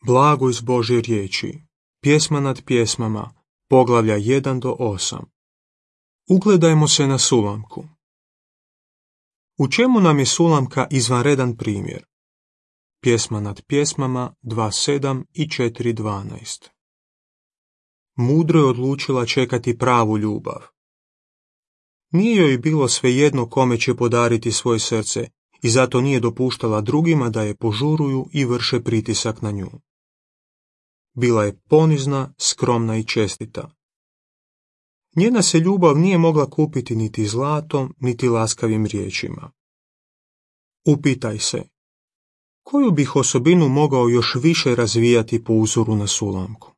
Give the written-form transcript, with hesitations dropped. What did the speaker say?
Blago iz Božje riječi. Pjesma nad pjesmama. Poglavlja 1 do 8. Ugledajmo se na Sulamku. U čemu nam je Sulamka izvanredan primjer? Pjesma nad pjesmama 2.7 i 4.12. Mudro je odlučila čekati pravu ljubav. Nije joj bilo svejedno kome će podariti svoje srce i zato nije dopuštala drugima da je požuruju i vrše pritisak na nju. Bila je ponizna, skromna i čestita. Njena se ljubav nije mogla kupiti niti zlatom, niti laskavim riječima. Upitaj se, koju bih osobinu mogao još više razvijati po uzoru na Sulamku?